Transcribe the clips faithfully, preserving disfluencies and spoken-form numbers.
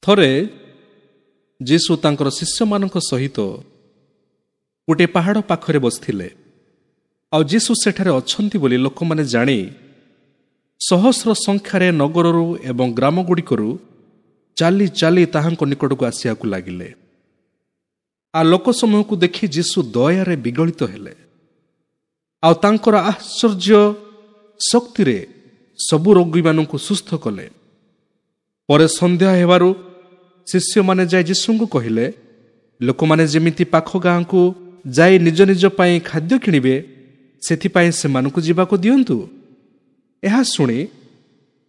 ଥରେ ଯୀଶୁ ତାଙ୍କର ଶିଷ୍ୟମାନଙ୍କ ସହିତ ଗୋଟିଏ ପାହାଡ଼ ପାଖରେ ବସିଥିଲେ। ଆଉ ଯୀଶୁ ସେଠାରେ ଅଛନ୍ତି ବୋଲି ଲୋକମାନେ ଜାଣି ସହସ୍ର ସଂଖ୍ୟାରେ ନଗରରୁ ଏବଂ ଗ୍ରାମଗୁଡ଼ିକରୁ ଚାଲି ଚାଲି ତାହାଙ୍କ ନିକଟକୁ ଆସିବାକୁ ଲାଗିଲେ। ଆଉ ଲୋକ ସମୂହକୁ ଦେଖି ଯୀଶୁ ଦୟାରେ ବିଗଳିତ ହେଲେ, ଆଉ ତାଙ୍କର ଆଶ୍ଚର୍ଯ୍ୟ ଶକ୍ତିରେ ସବୁ ରୋଗୀମାନଙ୍କୁ ସୁସ୍ଥ କଲେ। ପରେ ସନ୍ଧ୍ୟା ହେବାରୁ ଶିଷ୍ୟମାନେ ଯାଇ ଯୀଶୁଙ୍କୁ କହିଲେ, ଲୋକମାନେ ଯେମିତି ପାଖ ଗାଁକୁ ଯାଇ ନିଜ ନିଜ ପାଇଁ ଖାଦ୍ୟ କିଣିବେ, ସେଥିପାଇଁ ସେମାନଙ୍କୁ ଯିବାକୁ ଦିଅନ୍ତୁ। ଏହା ଶୁଣି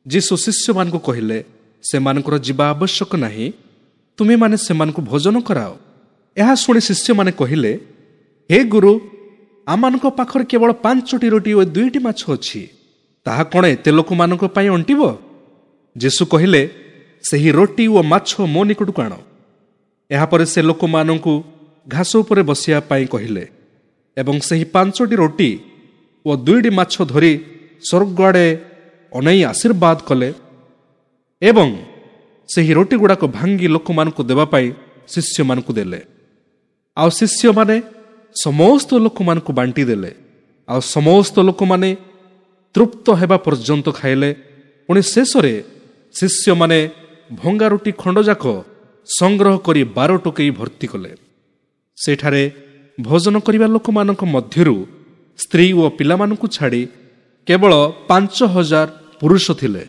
ଯୀଶୁ ଶିଷ୍ୟମାନଙ୍କୁ କହିଲେ, ସେମାନଙ୍କର ଯିବା ଆବଶ୍ୟକ ନାହିଁ, ତୁମେମାନେ ସେମାନଙ୍କୁ ଭୋଜନ କରାଅ। ଏହା ଶୁଣି ଶିଷ୍ୟମାନେ କହିଲେ, ହେ ଗୁରୁ, ଆମମାନଙ୍କ ପାଖରେ କେବଳ ପାଞ୍ଚଟି ରୋଟି ଓ ଦୁଇଟି ମାଛ ଅଛି, ତାହା କ'ଣ ଏତେ ଲୋକମାନଙ୍କ ପାଇଁ ଅଣ୍ଟିବ? ଯୀଶୁ କହିଲେ, ସେହି ରୋଟି ଓ ମାଛ ମୋ ନିକଟକୁ ଆଣ। ଏହାପରେ ସେ ଲୋକମାନଙ୍କୁ ଘାସ ଉପରେ ବସିବା ପାଇଁ କହିଲେ ଏବଂ ସେହି ପାଞ୍ଚଟି ରୋଟି ଓ ଦୁଇଟି ମାଛ ଧରି ସ୍ୱର୍ଗ ଆଡ଼େ ଅନେଇ ଆଶୀର୍ବାଦ କଲେ ଏବଂ ସେହି ରୋଟି ଗୁଡ଼ାକ ଭାଙ୍ଗି ଲୋକମାନଙ୍କୁ ଦେବା ପାଇଁ ଶିଷ୍ୟମାନଙ୍କୁ ଦେଲେ। ଆଉ ଶିଷ୍ୟମାନେ ସମସ୍ତ ଲୋକମାନଙ୍କୁ ବାଣ୍ଟି ଦେଲେ। ଆଉ ସମସ୍ତ ଲୋକମାନେ ତୃପ୍ତ ହେବା ପର୍ଯ୍ୟନ୍ତ ଖାଇଲେ। ପୁଣି ଶେଷରେ ଶିଷ୍ୟମାନେ ଭଙ୍ଗା ରୁଟି ଖଣ୍ଡଯାକ ସଂଗ୍ରହ କରି ବାର ଟୋକେଇ ଭର୍ତ୍ତି କଲେ। ସେଠାରେ ଭୋଜନ କରିବା ଲୋକମାନଙ୍କ ମଧ୍ୟରୁ ସ୍ତ୍ରୀ ଓ ପିଲାମାନଙ୍କୁ ଛାଡ଼ି କେବଳ ପାଞ୍ଚ ହଜାର ପୁରୁଷ ଥିଲେ।